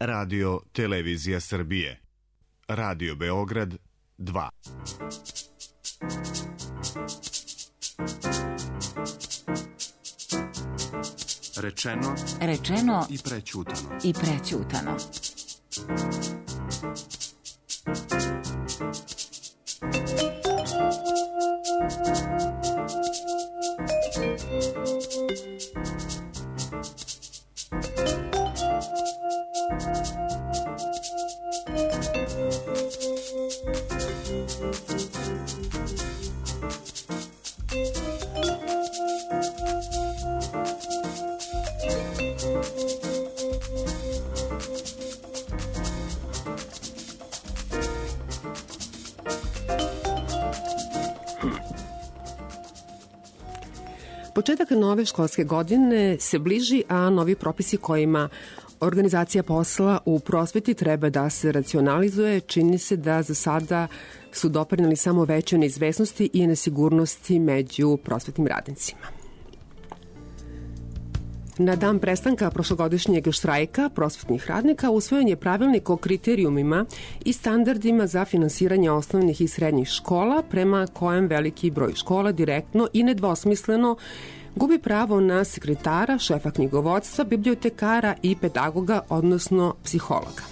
Radio Televizija Srbije. Radio Beograd 2. Rečeno i prećutano. Početak nove školske godine se bliži, a novi propisi kojima organizacija posla u prosveti treba da se racionalizuje, čini se da za sada su doprineli samo veće neizvesnosti i nesigurnosti među prosvetnim radnicima. Na dan prestanka prošlogodišnjeg štrajka prosvetnih radnika usvojen je pravilnik o kriterijumima i standardima za finansiranje osnovnih i srednjih škola, prema kojem veliki broj škola direktno i nedvosmisleno gubi pravo na sekretara, šefa knjigovodstva, bibliotekara i pedagoga, odnosno psihologa.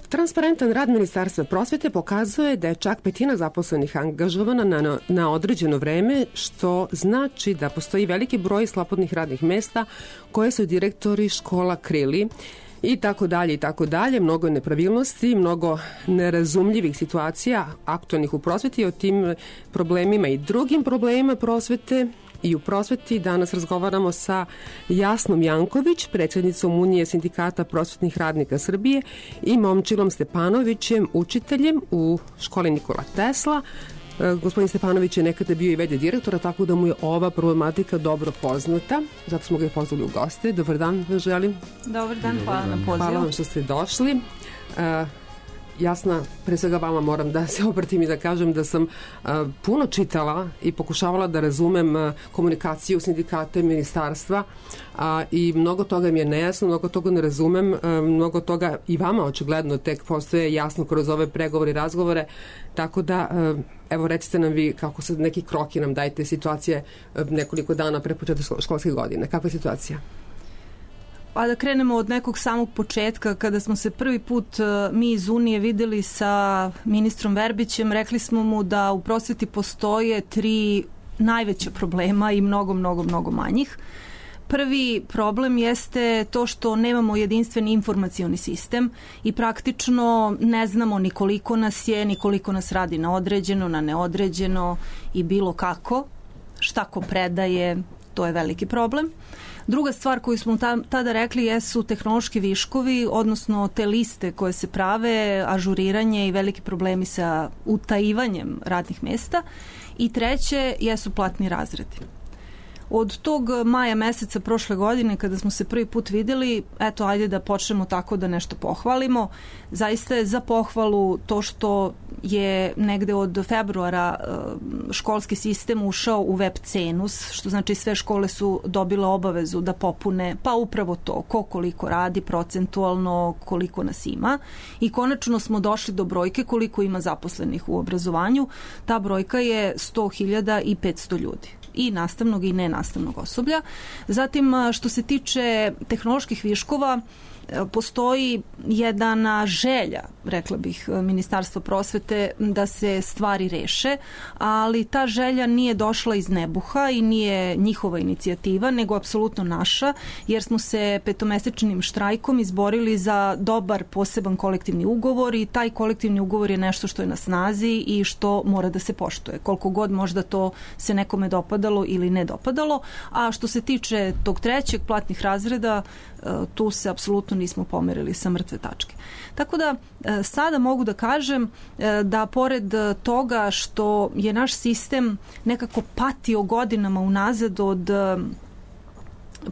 Transparentan rad Ministarstva prosvete pokazuje da je čak petina zaposlenih angažovana na određeno vreme, što znači da postoji veliki broj slobodnih radnih mesta koje su direktori škola krili i tako dalje i tako dalje. Mnogo je nepravilnosti, mnogo nerazumljivih situacija aktualnih u prosveti. O tim problemima i drugim problemima prosvete i u prosveti danas razgovaramo sa Jasnom Janković, predsjednicom Unije sindikata prosvetnih radnika Srbije, i Momčilom Stepanovićem, učiteljem u školi Nikola Tesla. Gospodin Stepanović je nekada bio i v.d. direktora, tako da mu je ova problematika dobro poznata. Zato smo ga i pozvali u goste. Dobar dan, želim. Dobar dan, hvala na pozivu. Hvala vam što ste došli. Jasna, pre svega vama moram da se obratim i da kažem da sam puno čitala i pokušavala da razumem komunikaciju sindikata i ministarstva i mnogo toga mi je nejasno, mnogo toga ne razumem, mnogo toga i vama očigledno tek postoje jasno kroz ove pregovore i razgovore, tako da evo recite nam vi kako se neki kroki nam dajte situacije nekoliko dana pre početka školske godine. Kakva je situacija? Pa da krenemo od nekog samog početka, kada smo se prvi put mi iz Unije videli sa ministrom Verbićem, rekli smo mu da u prosveti postoje 3 najveća problema i mnogo manjih. Prvi problem jeste to što nemamo jedinstveni informacioni sistem i praktično ne znamo ni koliko nas je, ni koliko nas radi na određeno, na neodređeno i bilo kako. Šta ko predaje, to je veliki problem. Druga stvar koju smo tada rekli jesu tehnološki viškovi, odnosno te liste koje se prave, ažuriranje i veliki problemi sa utajivanjem radnih mesta. I treće jesu platni razredi. Od tog maja meseca prošle godine kada smo se prvi put videli, eto ajde da počnemo tako da nešto pohvalimo. Zaista je za pohvalu to što je negde od februara školski sistem ušao u web cenus, što znači sve škole su dobile obavezu da popune pa upravo to, ko koliko radi procentualno, koliko nas ima, i konačno smo došli do brojke koliko ima zaposlenih u obrazovanju. Ta brojka je 100.500 ljudi. I nastavnog i nenastavnog osoblja. Zatim, što se tiče tehnoloških viškova, postoji jedna želja, rekla bih, Ministarstva prosvete da se stvari reše, ali ta želja nije došla iz nebuha i nije njihova inicijativa, nego apsolutno naša, jer smo se 5-mesečnim štrajkom izborili za dobar poseban kolektivni ugovor i taj kolektivni ugovor je nešto što je na snazi i što mora da se poštuje. Koliko god možda to se nekome dopadalo ili ne dopadalo, a što se tiče tog trećeg, platnih razreda, tu se apsolutno nismo pomerili sa mrtve tačke. Tako da sada mogu da kažem da pored toga što je naš sistem nekako patio godinama unazad od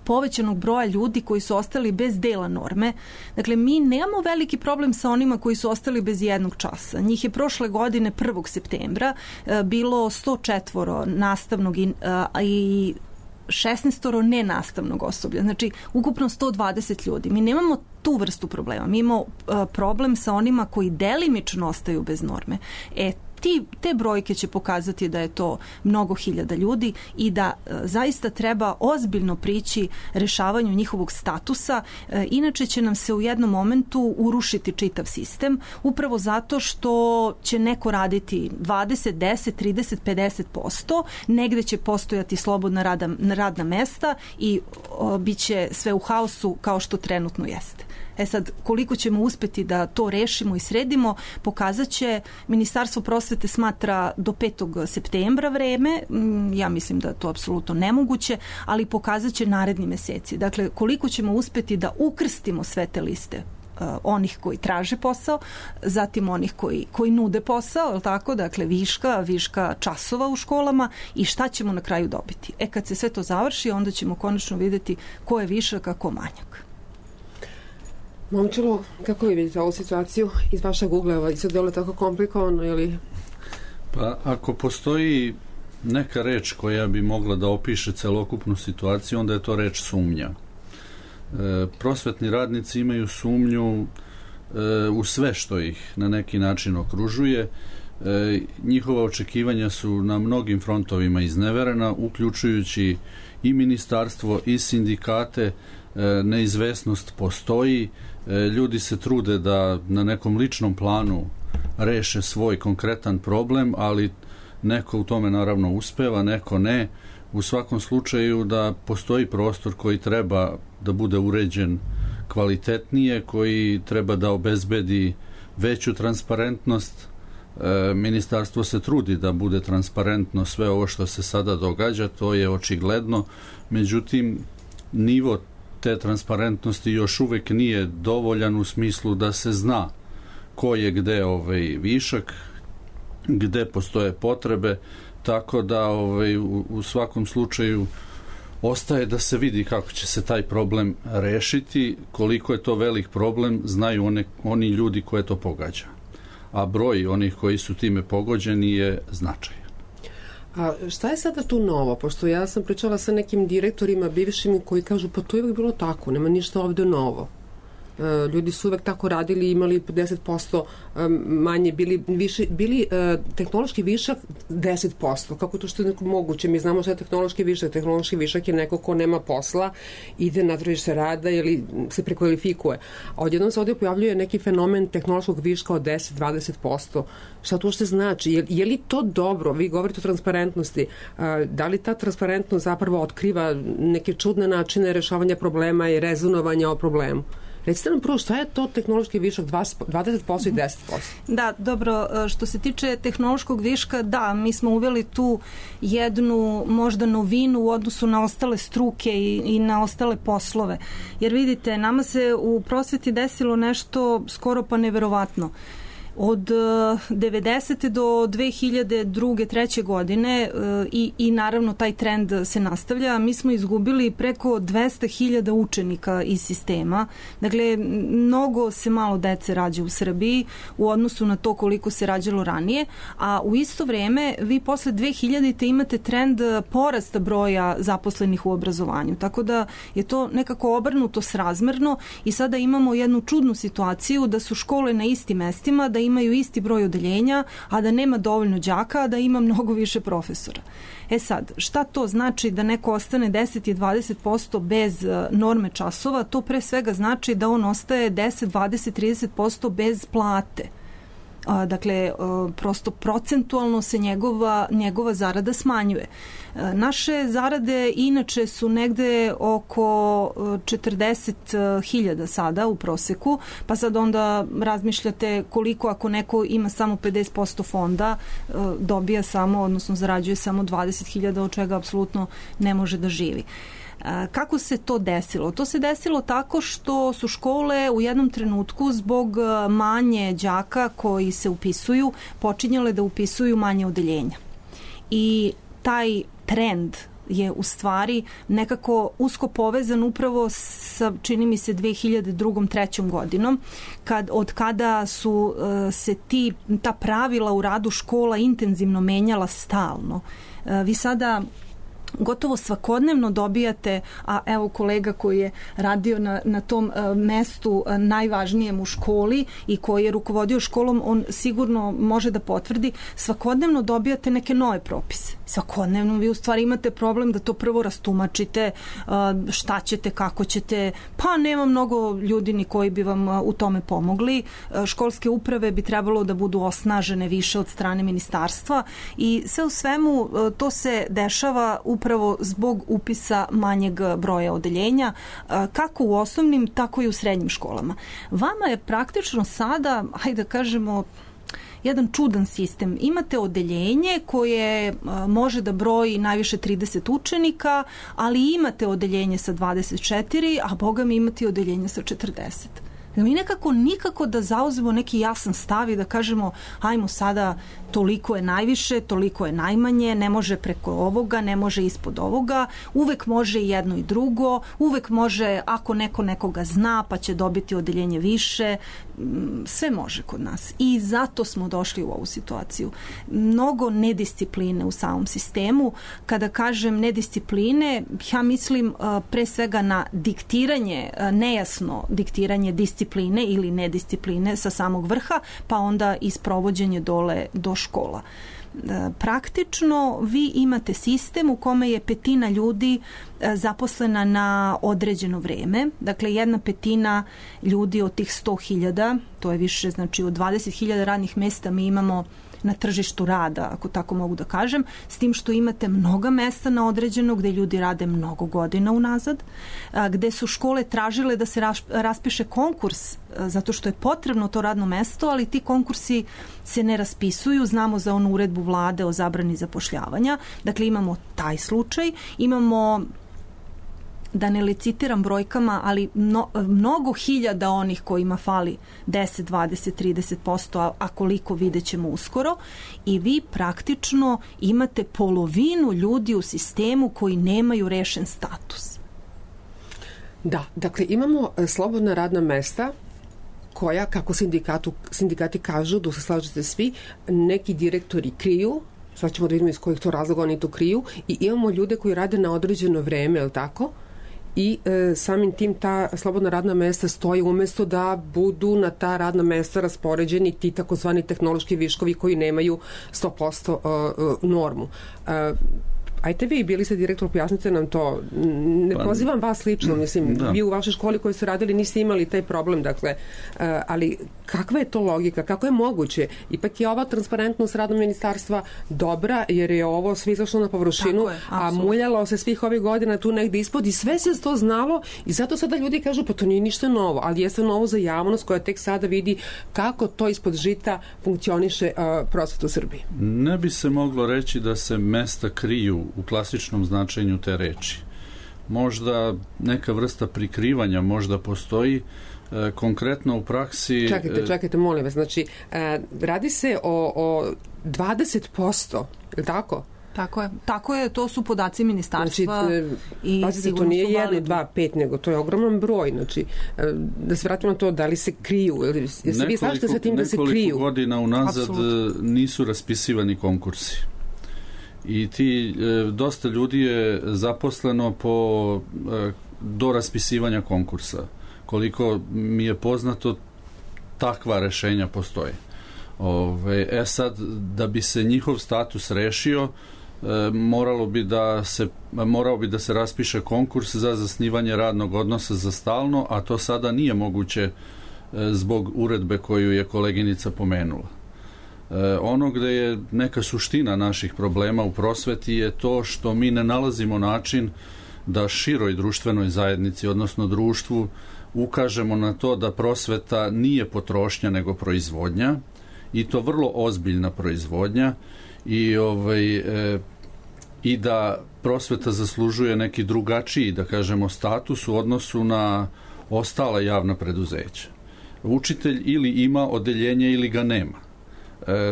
povećanog broja ljudi koji su ostali bez dela norme. Dakle, mi nemamo veliki problem sa onima koji su ostali bez jednog časa. Njih je prošle godine 1. septembra bilo 104 nastavnog i 16 nenastavnog osoblja, znači ukupno 120 ljudi. Mi nemamo tu vrstu problema. Mi imamo problem sa onima koji delimično ostaju bez norme. Te brojke će pokazati da je to mnogo hiljada ljudi i da zaista treba ozbiljno prići rešavanju njihovog statusa, inače će nam se u jednom momentu urušiti čitav sistem, upravo zato što će neko raditi 20, 10, 30, 50%, negde će postojati slobodna radna mesta i bit će sve u haosu kao što trenutno jeste. Sad, koliko ćemo uspeti da to rešimo i sredimo, pokazat će. Ministarstvo prosvete smatra do 5. septembra vreme, ja mislim da je to apsolutno nemoguće, ali pokazat će naredni meseci. Dakle, koliko ćemo uspeti da ukrstimo sve te liste onih koji traže posao, zatim onih koji nude posao, tako? Dakle, viška časova u školama i šta ćemo na kraju dobiti. Kad se sve to završi, onda ćemo konačno vidjeti ko je višak, a ko manjak. Momčilo, kako vi vidite ovu situaciju iz vašeg ugla? I sad delo tako komplikovano ili... Pa ako postoji neka reč koja bi mogla da opiše celokupnu situaciju, onda je to reč sumnja. Prosvetni radnici imaju sumnju u sve što ih na neki način okružuje. Njihova očekivanja su na mnogim frontovima izneverena, uključujući i ministarstvo i sindikate. Neizvesnost postoji, ljudi se trude da na nekom ličnom planu reše svoj konkretan problem, ali neko u tome naravno uspeva, neko ne. U svakom slučaju da postoji prostor koji treba da bude uređen kvalitetnije, koji treba da obezbedi veću transparentnost. Ministarstvo se trudi da bude transparentno sve ovo što se sada događa, to je očigledno, međutim nivo te transparentnosti još uvek nije dovoljan u smislu da se zna ko je gde višak, gde postoje potrebe, tako da u svakom slučaju ostaje da se vidi kako će se taj problem rešiti. Koliko je to velik problem znaju oni ljudi koje to pogađa, a broj onih koji su time pogođeni je značajan. A šta je sada tu novo? Pošto ja sam pričala sa nekim direktorima bivšim koji kažu pa to je uvijek bilo tako, nema ništa ovde novo. Ljudi su uvek tako radili, imali 50% manje, bili tehnološki višak 10%. Kako to što je moguće? Mi znamo što je tehnološki višak. Tehnološki višak je neko ko nema posla, ide na tržište rada ili se prekvalifikuje. A odjednom se ovdje pojavljuje neki fenomen tehnološkog viška od 10-20%. Šta to što znači? Je li to dobro? Vi govorite o transparentnosti. Da li ta transparentnost zapravo otkriva neke čudne načine rešavanja problema i rezonovanja o problemu? Recite nam prvo šta je to tehnološki višak 20% i 10%? Da, dobro, što se tiče tehnološkog viška, da, mi smo uveli tu jednu možda novinu u odnosu na ostale struke i na ostale poslove. Jer vidite, nama se u prosveti desilo nešto skoro pa neverovatno. Od 90. do 2002. 3. godine i naravno taj trend se nastavlja. Mi smo izgubili preko 200.000 učenika iz sistema. Dakle, mnogo se malo dece rađa u Srbiji u odnosu na to koliko se rađalo ranije, a u isto vreme vi posle 2000. imate trend porasta broja zaposlenih u obrazovanju. Tako da je to nekako obrnuto srazmerno i sada imamo jednu čudnu situaciju da su škole na istim mestima, da imaju isti broj odeljenja, a da nema dovoljno đaka, a da ima mnogo više profesora. Sad, šta to znači da neko ostane 10 i 20% bez norme časova? To pre svega znači da on ostaje 10, 20, 30% bez plate. Dakle, prosto procentualno se njegova zarada smanjuje. Naše zarade inače su negde oko 40.000 sada u proseku, pa sad onda razmišljate koliko ako neko ima samo 50% fonda, dobija samo, odnosno zarađuje samo 20.000, od čega apsolutno ne može da živi. Kako se to desilo? To se desilo tako što su škole u jednom trenutku zbog manje đaka koji se upisuju počinjale da upisuju manje odeljenja. I taj trend je u stvari nekako usko povezan upravo sa, čini mi se, 2002-2003 godinom, od kada su se ta pravila u radu škola intenzivno menjala stalno. Vi sada gotovo svakodnevno dobijate, a evo kolega koji je radio na tom mestu najvažnijem u školi i koji je rukovodio školom, on sigurno može da potvrdi, svakodnevno dobijate neke nove propise. Svakodnevno vi u stvari imate problem da to prvo rastumačite, šta ćete, kako ćete, pa nema mnogo ljudi ni koji bi vam u tome pomogli. Školske uprave bi trebalo da budu osnažene više od strane ministarstva i sve u svemu to se dešava upravo zbog upisa manjeg broja odeljenja, kako u osnovnim, tako i u srednjim školama. Vama je praktično sada, hajde da kažemo, jedan čudan sistem. Imate odeljenje koje može da broji najviše 30 učenika, ali imate odeljenje sa 24, a boga mi imate odeljenje sa 40. Mi nikako da zauzmemo neki jasan stav i da kažemo ajmo sada toliko je najviše, toliko je najmanje, ne može preko ovoga, ne može ispod ovoga, uvek može jedno i drugo, uvek može ako neko nekoga zna pa će dobiti odeljenje više, sve može kod nas i zato smo došli u ovu situaciju. Mnogo nediscipline u samom sistemu. Kada kažem nediscipline, ja mislim pre svega na diktiranje, nejasno diktiranje discipline ili nediscipline sa samog vrha, pa onda i sprovođenje dole do škola. Praktično vi imate sistem u kome je 1/5 ljudi zaposlena na određeno vreme. Dakle, 1/5 ljudi od tih 100.000, to je više, znači od 20.000 radnih mesta mi imamo na tržištu rada, ako tako mogu da kažem, s tim što imate mnoga mesta na određeno gde ljudi rade mnogo godina unazad, gde su škole tražile da se raspiše konkurs zato što je potrebno to radno mesto, ali ti konkursi se ne raspisuju. Znamo za onu uredbu vlade o zabrani zapošljavanja. Dakle, imamo taj slučaj. Imamo, da ne licitiram brojkama, ali mnogo hiljada onih kojima fali 10, 20, 30%, a koliko vidjet ćemo uskoro, i vi praktično imate polovinu ljudi u sistemu koji nemaju rešen status. Da, dakle imamo slobodna radna mesta koja, kako sindikati kažu, da se slažete svi, neki direktori kriju, sad ćemo da vidimo iz kojih to razloga oni to kriju, i imamo ljude koji rade na određeno vreme, je li tako? I samim tim ta slobodna radna mesta stoji umesto da budu na ta radna mesta raspoređeni ti takozvani tehnološki viškovi koji nemaju 100% normu. Ajte vi, bili ste direktor, pojasnite nam to. Ne pozivam vas lično, mislim, vi u vašoj školi koji ste radili niste imali taj problem, dakle, ali kakva je to logika, kako je moguće? Ipak je ova transparentnost radnog ministarstva dobra, jer je ovo sve izašlo na površinu, a muljalo se svih ovih godina tu negde ispod i sve se to znalo i zato sada ljudi kažu pa to nije ništa novo, ali jeste novo za javnost koja tek sada vidi kako to ispod žita funkcioniše prosveta u Srbiji. Ne bi se moglo reći da se mesta kriju u klasičnom značenju te reči. Možda neka vrsta prikrivanja možda postoji, konkretno u praksi... Čekajte, molim vas, znači radi se o 20%, je li tako? Tako je, to su podaci ministarstva. Znači, pazite, to nije 1, 2, 5, nego to je ogroman broj. Znači, da se vratimo na to, da li se kriju? Vi slažete sa tim da se kriju? Nekoliko godina unazad nisu raspisivani konkursi. I dosta ljudi je zaposleno do raspisivanja konkursa. Koliko mi je poznato, takva rešenja postoje. Sad, da bi se njihov status rešio, morao bi da se raspiše konkurs za zasnivanje radnog odnosa za stalno, a to sada nije moguće zbog uredbe koju je koleginica pomenula. Ono gde je neka suština naših problema u prosveti je to što mi ne nalazimo način da široj društvenoj zajednici, odnosno društvu, ukažemo na to da prosveta nije potrošnja nego proizvodnja, i to vrlo ozbiljna proizvodnja, i da prosveta zaslužuje neki drugačiji, da kažemo, status u odnosu na ostala javna preduzeća. Učitelj ili ima odeljenje ili ga nema.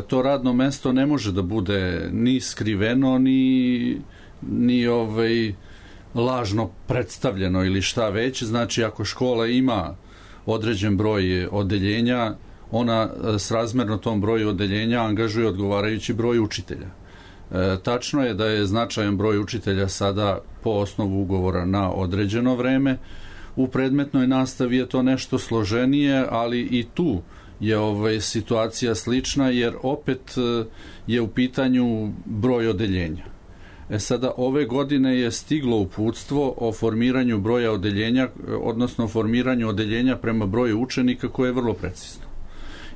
To radno mesto ne može da bude ni skriveno, ni lažno predstavljeno ili šta već. Znači, ako škola ima određen broj odeljenja, ona srazmerno tom broju odeljenja angažuje odgovarajući broj učitelja. Tačno je da je značajan broj učitelja sada po osnovu ugovora na određeno vreme. U predmetnoj nastavi je to nešto složenije, ali i tu je situacija slična, jer opet je u pitanju broj odeljenja. Sada ove godine je stiglo uputstvo o formiranju broja odeljenja, odnosno formiranju odeljenja prema broju učenika, koje je vrlo precizno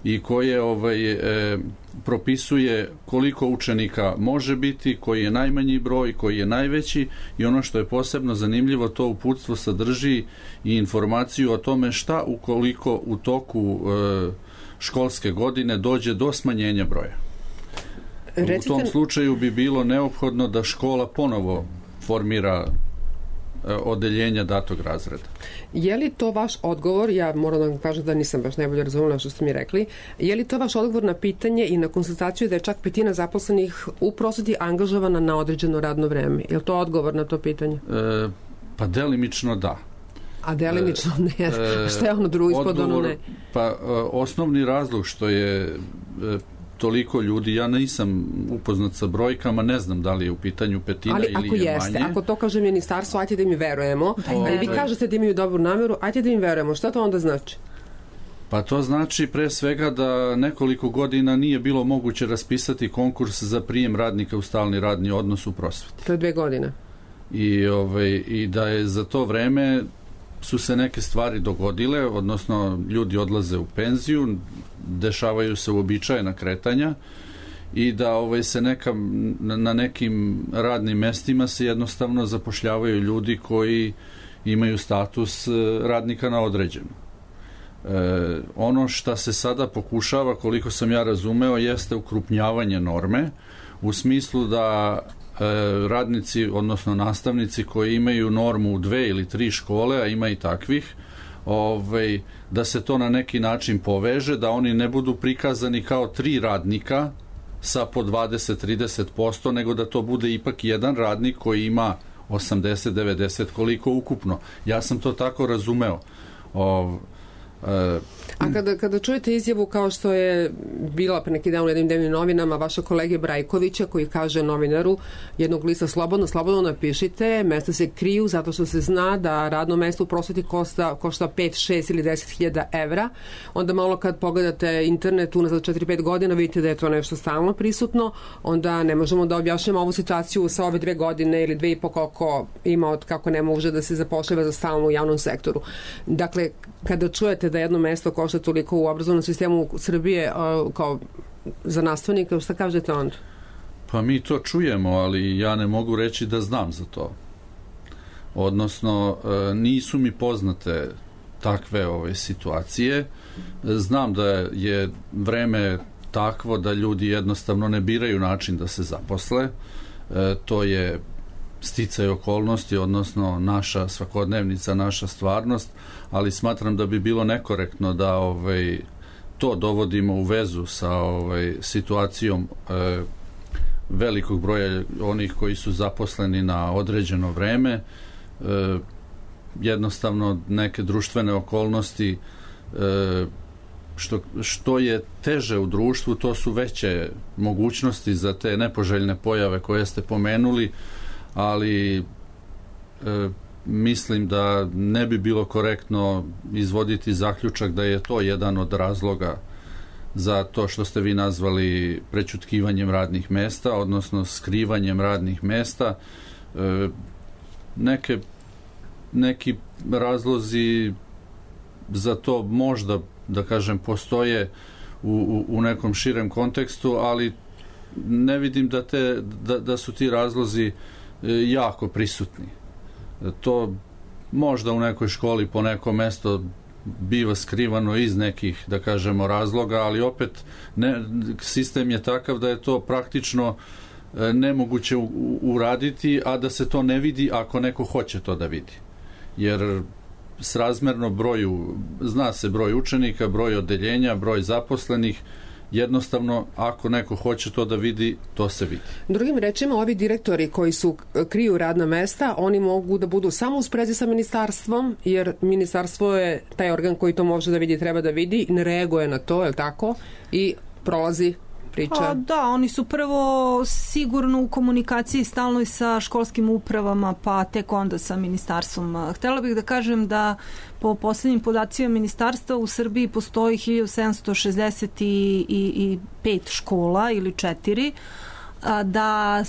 i koje propisuje koliko učenika može biti, koji je najmanji broj, koji je najveći, i ono što je posebno zanimljivo, to uputstvo sadrži i informaciju o tome šta ukoliko u toku školske godine dođe do smanjenja broja. U tom slučaju bi bilo neophodno da škola ponovo formira odeljenja datog razreda. Je li to vaš odgovor, ja moram da vam kažem da nisam baš najbolje razumela što ste mi rekli, je li to vaš odgovor na pitanje i na konstataciju da je čak 1/5 zaposlenih u prosveti angažovana na određeno radno vreme? Je li to odgovor na to pitanje? Pa delimično da. A delimično ne. Šta je ono drugo ispod ono ne? Pa osnovni razlog što je toliko ljudi, ja nisam upoznat sa brojkama, ne znam da li je u pitanju 1/5 ili je manje. Ali ako jeste, ako to kaže ministarstvo, ajte da mi verujemo, a vi kažete da imaju dobru nameru, ajte da im verujemo. Šta to onda znači? Pa to znači pre svega da nekoliko godina nije bilo moguće raspisati konkurs za prijem radnika u stalni radni odnos u prosveti. To je 2 godine. I da je za to vreme su se neke stvari dogodile, odnosno ljudi odlaze u penziju, dešavaju se uobičajena kretanja i da se na nekim radnim mestima se jednostavno zapošljavaju ljudi koji imaju status radnika na određeno. Ono što se sada pokušava, koliko sam ja razumeo, jeste ukrupnjavanje norme, u smislu da radnici, odnosno nastavnici koji imaju normu u 2 ili 3 škole, a ima i takvih, da se to na neki način poveže, da oni ne budu prikazani kao 3 radnika sa po 20-30%, nego da to bude ipak jedan radnik koji ima 80-90 koliko ukupno. Ja sam to tako razumeo. A kada čujete izjavu kao što je bila pre neki dan u jednim dnevnim novinama vaša kolege Brajkovića, koji kaže novinaru jednog lista slobodno napišite, mesta se kriju zato što se zna da radno mesto u prosveti košta 5, 6 ili 10.000 evra, onda malo kad pogledate internet unazad 4-5 godina vidite da je to nešto stalno prisutno, onda ne možemo da objašnjamo ovu situaciju sa ove 2 godine ili 2,5 koliko ima od kako ne može da se zapošljava za stalno u javnom sektoru. Dakle, kada čujete da jedno mesto košta toliko u obrazovnom sistemu Srbije kao za nastavnika, šta kažete onda? Pa mi to čujemo, ali ja ne mogu reći da znam za to. Odnosno, nisu mi poznate takve situacije. Znam da je vreme takvo da ljudi jednostavno ne biraju način da se zaposle. To je sticaj okolnosti, odnosno naša svakodnevnica, naša stvarnost, ali smatram da bi bilo nekorektno da to dovodimo u vezu sa situacijom velikog broja onih koji su zaposleni na određeno vreme. Jednostavno neke društvene okolnosti, što je teže u društvu, to su veće mogućnosti za te nepoželjne pojave koje ste pomenuli, ali mislim da ne bi bilo korektno izvoditi zaključak da je to jedan od razloga za to što ste vi nazvali prećutkivanjem radnih mesta, odnosno skrivanjem radnih mesta. Neki razlozi za to možda, da kažem, postoje u nekom širem kontekstu, ali ne vidim da su ti razlozi jako prisutni. To možda u nekoj školi po neko mesto biva skrivano iz nekih, da kažemo, razloga, ali opet sistem je takav da je to praktično nemoguće uraditi, a da se to ne vidi ako neko hoće to da vidi. Jer srazmerno broju, zna se broj učenika, broj odeljenja, broj zaposlenih, jednostavno, ako neko hoće to da vidi, to se vidi. Drugim rečima, ovi direktori koji kriju radna mesta, oni mogu da budu samo u sprezi sa ministarstvom, jer ministarstvo je taj organ koji to može da vidi, treba da vidi, ne reaguje na to, je li tako? I prolazi priča? Da, oni su prvo sigurno u komunikaciji stalno i sa školskim upravama, pa tek onda sa ministarstvom. Htela bih da kažem da po poslednjim podacima ministarstva u Srbiji postoji 1765 škola ili 4, da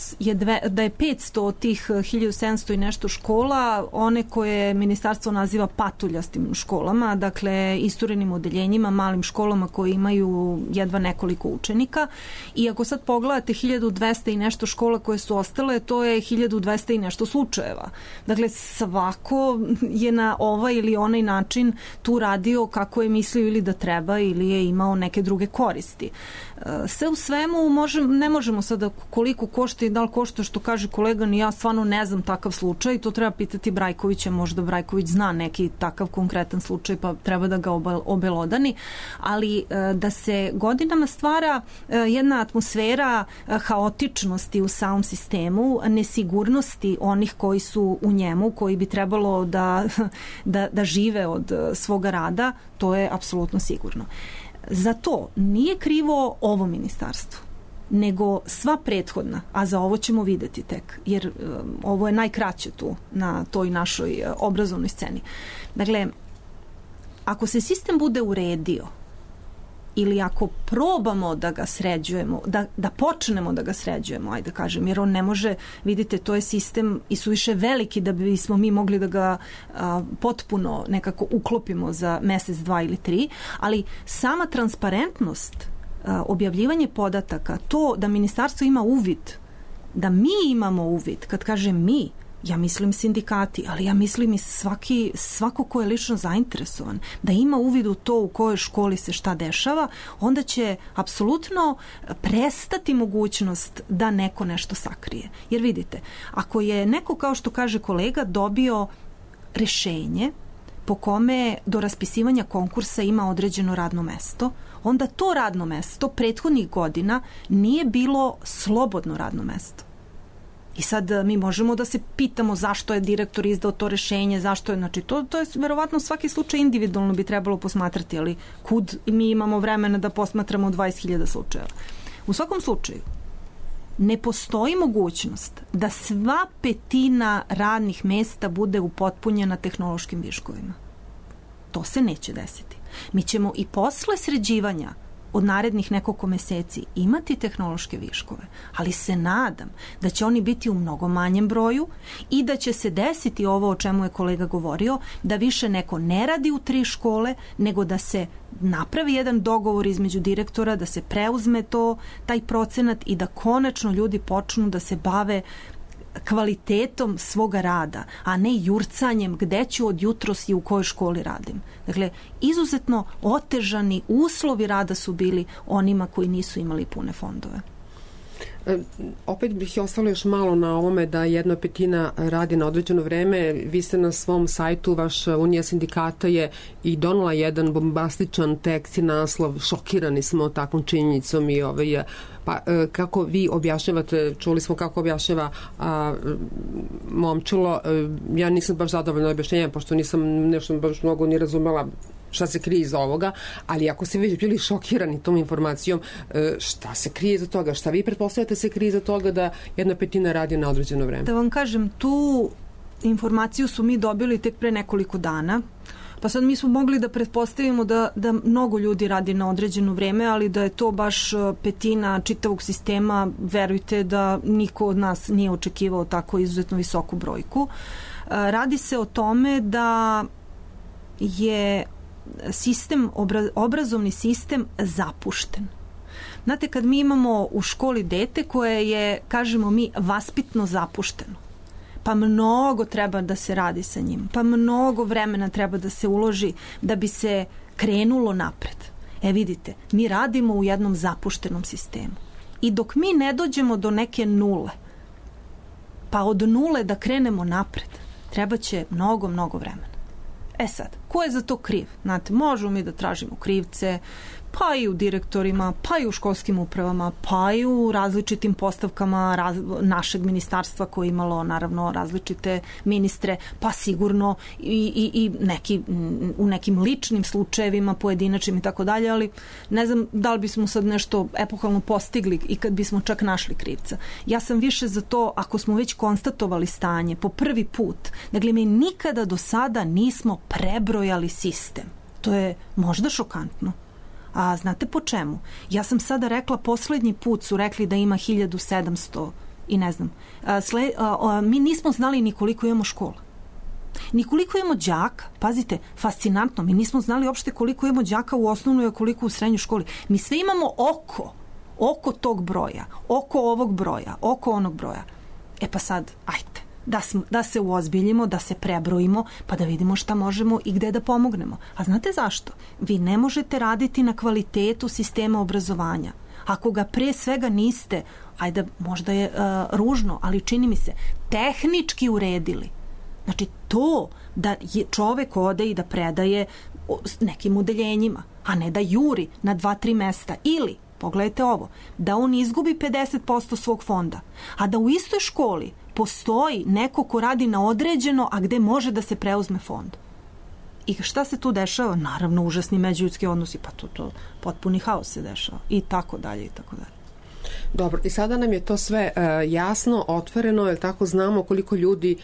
je 500 od tih 1700 i nešto škola, one koje ministarstvo naziva patuljastim školama, dakle isturenim odeljenjima, malim školama koje imaju jedva nekoliko učenika. I ako sad pogledate 1200 i nešto škola koje su ostale, to je 1200 i nešto slučajeva. Dakle, svako je na ovaj ili onaj način tu radio kako je mislio ili da treba ili je imao neke druge koristi. Sve u svemu ne možemo sada koliko košta i da li košta, što kaže kolega, ni ja stvarno ne znam takav slučaj, to treba pitati Brajkovića, možda Brajković zna neki takav konkretan slučaj pa treba da ga obelodani, ali da se godinama stvara jedna atmosfera haotičnosti u samom sistemu, nesigurnosti onih koji su u njemu, koji bi trebalo da žive od svoga rada, to je apsolutno sigurno. Za to nije krivo ovo ministarstvo, nego sva prethodna, a za ovo ćemo videti tek, jer ovo je najkraće tu na toj našoj obrazovnoj sceni. Dakle, ako se sistem bude uredio ili ako probamo da ga sređujemo, da počnemo da ga sređujemo, ajde da kažem, jer on ne može, vidite, to je sistem i suviše veliki da bismo mi mogli da ga potpuno nekako uklopimo za mesec, 2 ili 3, ali sama transparentnost, objavljivanje podataka, to da ministarstvo ima uvid, da mi imamo uvid, kad kažem mi, ja mislim sindikati, ali ja mislim i svako ko je lično zainteresovan, da ima uvid u to u kojoj školi se šta dešava, onda će apsolutno prestati mogućnost da neko nešto sakrije. Jer vidite, ako je neko, kao što kaže kolega, dobio rešenje po kome do raspisivanja konkursa ima određeno radno mesto, onda to radno mesto prethodnih godina nije bilo slobodno radno mesto. I sad mi možemo da se pitamo zašto je direktor izdao to rešenje, zašto je, znači to je verovatno svaki slučaj individualno bi trebalo posmatrati, ali kud mi imamo vremena da posmatramo 20.000 slučajeva. U svakom slučaju, ne postoji mogućnost da sva 1/5 radnih mesta bude upotpunjena tehnološkim viškovima. To se neće desiti. Mi ćemo i posle sređivanja od narednih nekoliko meseci imati tehnološke viškove, ali se nadam da će oni biti u mnogo manjem broju i da će se desiti ovo o čemu je kolega govorio, da više neko ne radi u 3 škole, nego da se napravi jedan dogovor između direktora, da se preuzme taj procenat i da konačno ljudi počnu da se bave kvalitetom svoga rada, a ne jurcanjem gde ću od jutros i u kojoj školi radim. Dakle, izuzetno otežani uslovi rada su bili onima koji nisu imali pune fondove. Opet bih ostalo još malo na ovome da 1/5 radi na određeno vreme. Vi ste na svom sajtu, vaš Unija sindikata je i donela jedan bombastičan tekst i naslov, šokirani smo takvom činjenicom i pa kako vi objašnjavate, čuli smo kako objašnjava Momčilo, ja nisam baš zadovoljna objašnjenja, pošto nisam nešto baš mnogo ni razumela šta se krije iza ovoga, ali ako ste već bili šokirani tom informacijom, šta se krije iza toga? Šta vi pretpostavljate se krije iza toga da 1/5 radi na određeno vreme? Da vam kažem, tu informaciju su mi dobili tek pre nekoliko dana, pa sad mi smo mogli da pretpostavimo da mnogo ljudi radi na određeno vreme, ali da je to baš 1/5 čitavog sistema, verujte da niko od nas nije očekivao tako izuzetno visoku brojku. Radi se o tome da je obrazovni sistem zapušten. Znate, kad mi imamo u školi dete koje je, kažemo mi, vaspitno zapušteno, pa mnogo treba da se radi sa njim, pa mnogo vremena treba da se uloži da bi se krenulo napred. Vidite, mi radimo u jednom zapuštenom sistemu. I dok mi ne dođemo do neke nule, pa od nule da krenemo napred, treba će mnogo vremena. Sad, ko je za to kriv? Znate, možemo mi da tražimo krivce, pa i u direktorima, pa i u školskim upravama, pa i u različitim postavkama našeg ministarstva koje je imalo naravno različite ministre, pa sigurno i u nekim ličnim slučajevima, pojedinačnim i tako dalje, ali ne znam da li bismo sad nešto epohalno postigli i kad bismo čak našli krivca. Ja sam više za to, ako smo već konstatovali stanje po prvi put, dakle mi nikada do sada nismo prebrojali sistem. To je možda šokantno. A znate po čemu? Ja sam sada rekla, poslednji put su rekli da ima 1700 i ne znam. Mi nismo znali ni koliko imamo škola. Ni koliko imamo đaka. Pazite, fascinantno. Mi nismo znali uopšte koliko imamo đaka u osnovnoj, a koliko u srednjoj školi. Mi sve imamo oko tog broja, oko ovog broja, oko onog broja. E pa sad, ajte. Da se uozbiljimo, da se prebrojimo, pa da vidimo šta možemo i gde da pomognemo. A znate zašto? Vi ne možete raditi na kvalitetu sistema obrazovanja. Ako ga pre svega niste, ajde, možda je ružno, ali čini mi se, tehnički uredili. Znači, to da čovek ode i da predaje nekim udeljenjima, a ne da juri na 2-3 mesta. Ili, pogledajte ovo, da on izgubi 50% svog fonda, a da u istoj školi postoji neko ko radi na određeno, a gde može da se preuzme fond. I šta se tu dešava? Naravno, užasni međuljudski odnosi, pa to potpuni haos se dešava. I tako dalje, i tako dalje. Dobro, i sada nam je to sve jasno, otvoreno, jer tako znamo koliko ljudi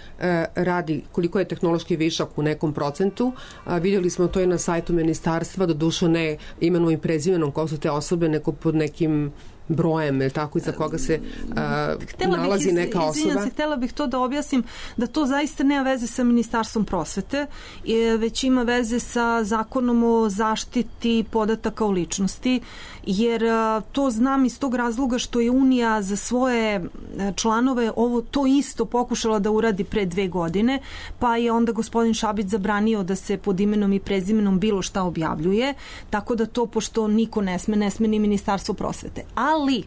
radi, koliko je tehnološki višak u nekom procentu. Vidjeli smo to i na sajtu ministarstva, doduše ne imenom i prezimenom ko su te osobe, neko pod nekim brojem, ili tako, iza koga se nalazi neka osoba. Htjela bih to da objasnim da to zaista nema veze sa Ministarstvom prosvete, već ima veze sa Zakonom o zaštiti podataka o ličnosti, jer to znam iz tog razloga što je Unija za svoje članove to isto pokušala da uradi pre 2 godine, pa je onda gospodin Šabić zabranio da se pod imenom i prezimenom bilo šta objavljuje, tako da to, pošto niko ne sme ni Ministarstvo prosvete. Ali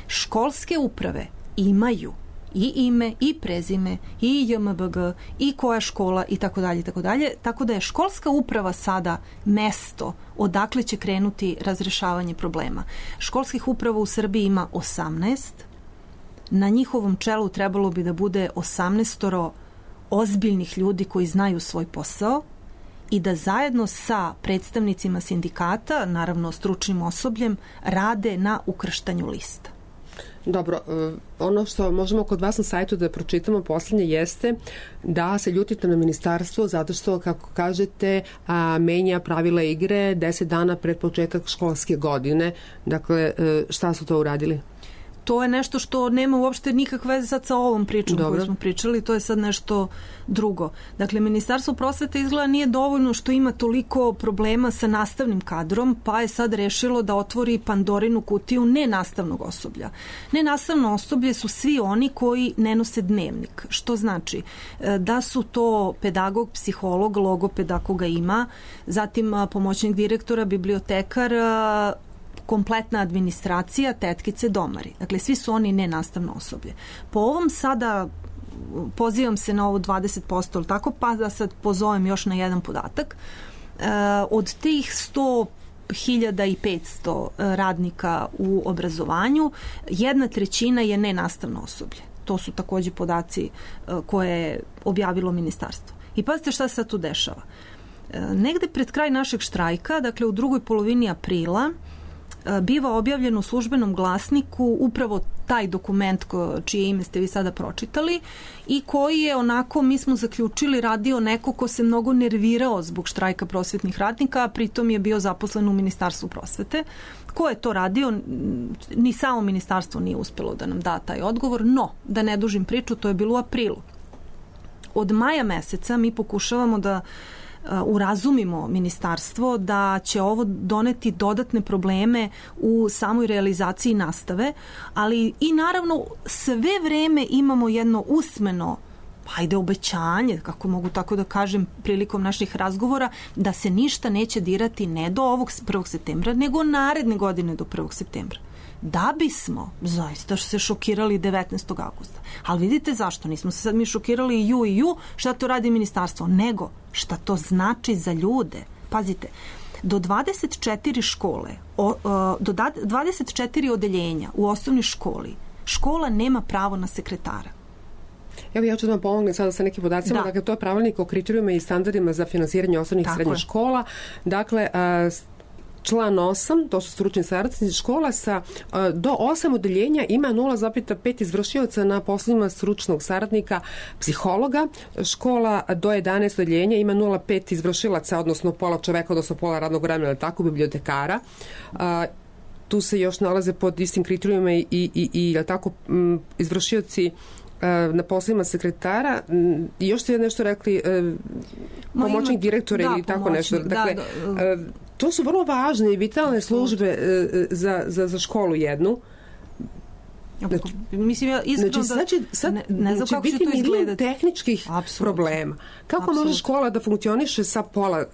školske uprave imaju i ime, i prezime, i JMBG, i koja škola, i tako dalje, i tako dalje. Tako da je školska uprava sada mesto odakle će krenuti razrešavanje problema. Školskih uprava u Srbiji ima 18. Na njihovom čelu trebalo bi da bude 18 ozbiljnih ljudi koji znaju svoj posao i da zajedno sa predstavnicima sindikata, naravno stručnim osobljem, rade na ukrštanju lista. Dobro, ono što možemo kod vas na sajtu da pročitamo poslednje jeste da se ljutite na ministarstvo zato što, kako kažete, menja pravila igre 10 dana pred početak školske godine. Dakle, šta su to uradili? To je nešto što nema uopšte nikakve veze sad sa ovom pričom koju smo pričali, to je sad nešto drugo. Dakle, Ministarstvo prosvete izgleda nije dovoljno što ima toliko problema sa nastavnim kadrom, pa je sad rešilo da otvori Pandorinu kutiju nenastavnog osoblja. Nenastavno osoblje su svi oni koji ne nose dnevnik, što znači da su to pedagog, psiholog, logoped ako ga ima, zatim pomoćnik direktora, bibliotekar, kompletna administracija, tetkice, domari. Dakle, svi su oni nenastavno osoblje. Po ovom sada pozivam se na ovo 20%, ali tako, pa da sad pozovem još na jedan podatak. Od tih 100.500 radnika u obrazovanju, 1/3 je nenastavno osoblje. To su takođe podaci koje je objavilo ministarstvo. I pazite šta se sad tu dešava. Negde pred kraj našeg štrajka, dakle u drugoj polovini aprila, biva objavljen u službenom glasniku upravo taj dokument čije ime ste vi sada pročitali i koji je onako, mi smo zaključili, radio neko ko se mnogo nervirao zbog štrajka prosvetnih radnika, a pritom je bio zaposlen u Ministarstvu prosvete. Ko je to radio? Ni samo ministarstvo nije uspelo da nam da taj odgovor, no, da ne dužim priču, to je bilo u aprilu. Od maja meseca mi pokušavamo da urazumimo ministarstvo da će ovo doneti dodatne probleme u samoj realizaciji nastave, ali i naravno sve vreme imamo jedno usmeno obećanje, kako mogu tako da kažem, prilikom naših razgovora, da se ništa neće dirati ne do ovog 1. septembra, nego naredne godine do 1. septembra. Da bismo zaista se šokirali 19. augusta. Ali vidite zašto? Nismo se sad mi šokirali i ju, šta to radi ministarstvo, nego šta to znači za ljude. Pazite, do 24 škole, do 24 odeljenja u osnovnoj školi, škola nema pravo na sekretara. Evo ja ću da vam pomognem sada sa nekim podacima. Dakle, to je pravilnik o kriterijuma i standardima za finansiranje osnovnih i srednjih škola. Dakle, član 8, to su stručni saradnici, škola sa do 8 odeljenja ima 0,5 izvršioca na poslovima stručnog saradnika psihologa. Škola do 11 odeljenja ima 0,5 izvršilaca, odnosno pola čoveka, odnosno pola radnog vremena, tako, bibliotekara. Tu se još nalaze pod istim kriterijuma i tako, izvršioci na poslovima sekretara. I još ste nešto rekli, pomoćnik direktora ili tako nešto. Dakle, to su vrlo važne i vitalne službe za školu jednu. Mislim, ja iskreno ne znam kako će to izgledati. Tehničkih problema. Kako može škola da funkcioniše sa pola,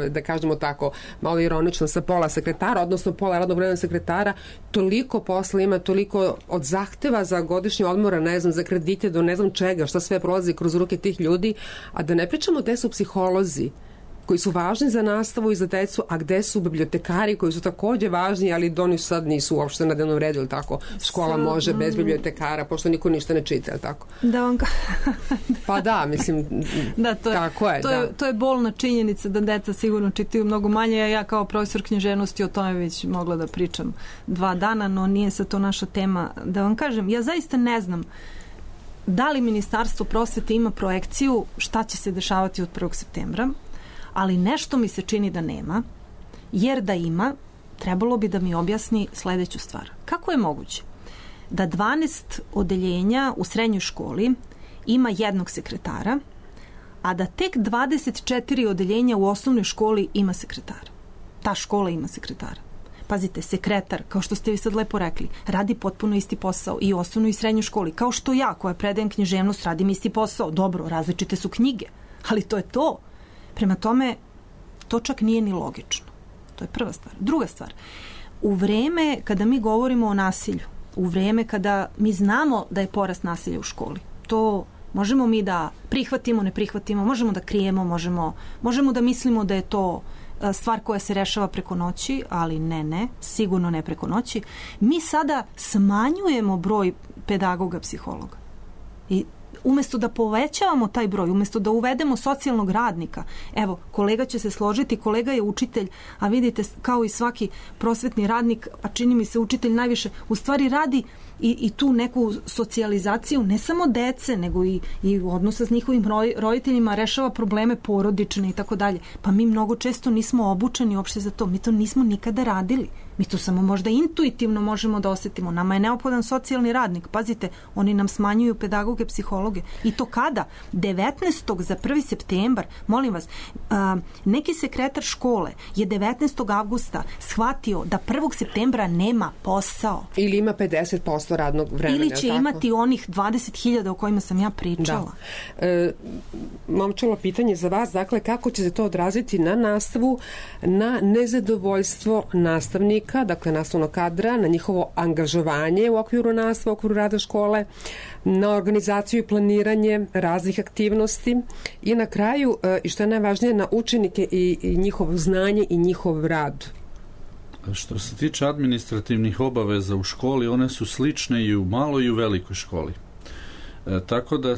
da kažemo tako, malo ironično, sa pola sekretara, odnosno pola radnog vremena sekretara, toliko posla ima, toliko od zahteva za godišnje odmora, ne znam, za kredite do ne znam čega, šta sve prolazi kroz ruke tih ljudi, a da ne pričamo gde su psiholozi koji su važni za nastavu i za decu, a gde su bibliotekari koji su takođe važni, ali oni sad nisu uopšte na dnevnom redu, ili tako? Škola može bez bibliotekara, pošto niko ništa ne čita, ili tako? Da vam pa da, mislim, tako je. To je bolna činjenica da deca sigurno čitaju mnogo manje. Ja kao profesor književnosti o tome već mogla da pričam 2 dana, no nije sad to naša tema. Da vam kažem, ja zaista ne znam da li Ministarstvo prosvete ima projekciju šta će se dešavati od 1. septembra, ali nešto mi se čini da nema, jer da ima, trebalo bi da mi objasni sledeću stvar. Kako je moguće da 12 odeljenja u srednjoj školi ima jednog sekretara, a da tek 24 odeljenja u osnovnoj školi ima sekretara? Ta škola ima sekretara. Pazite, sekretar, kao što ste vi sad lepo rekli, radi potpuno isti posao i u osnovnoj i srednjoj školi. Kao što ja, koja predajem književnost, radim isti posao. Dobro, različite su knjige, ali to je to. Prema tome, to čak nije ni logično. To je prva stvar. Druga stvar, u vreme kada mi govorimo o nasilju, u vreme kada mi znamo da je porast nasilja u školi, to možemo mi da prihvatimo, ne prihvatimo, možemo da krijemo, možemo da mislimo da je to stvar koja se rešava preko noći, ali ne, sigurno ne preko noći. Mi sada smanjujemo broj pedagoga, psihologa. I umesto da povećavamo taj broj, umesto da uvedemo socijalnog radnika, evo, kolega će se složiti, kolega je učitelj, a vidite, kao i svaki prosvetni radnik, a čini mi se učitelj najviše, u stvari radi i tu neku socijalizaciju, ne samo dece, nego i odnosa s njihovim roditeljima, rešava probleme porodične i tako dalje. Pa mi mnogo često nismo obučeni uopšte za to. Mi to nismo nikada radili. Mi to samo možda intuitivno možemo da osetimo. Nama je neophodan socijalni radnik. Pazite, oni nam smanjuju pedagoge, psihologe. I to kada? 19. za 1. septembar. Molim vas, neki sekretar škole je 19. avgusta shvatio da 1. septembra nema posao. Ili ima 50% radnog vremena. Ili će imati onih 20.000 o kojima sam ja pričala. Da. Momčilo, pitanje za vas, dakle, kako će se to odraziti na nastavu, na nezadovoljstvo nastavnika, dakle nastavnog kadra, na njihovo angažovanje u okviru nastave, u okviru rada škole, na organizaciju i planiranje raznih aktivnosti i na kraju, i što je najvažnije, na učenike i njihovo znanje i njihov rad. Što se tiče administrativnih obaveza u školi, one su slične i u maloj i u velikoj školi. Tako da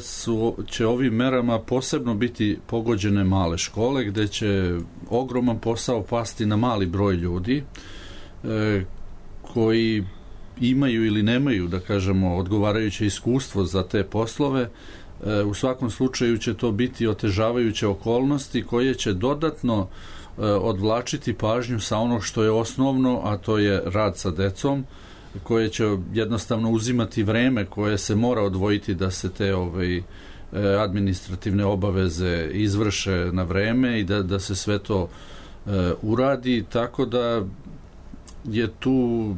će ovim merama posebno biti pogođene male škole, gde će ogroman posao pasti na mali broj ljudi koji imaju ili nemaju, da kažemo, odgovarajuće iskustvo za te poslove. U svakom slučaju će to biti otežavajuće okolnosti koje će dodatno odvlačiti pažnju sa onog što je osnovno, a to je rad sa decom, koje će jednostavno uzimati vreme koje se mora odvojiti da se te administrativne obaveze izvrše na vreme i da se sve to uradi, tako da je tu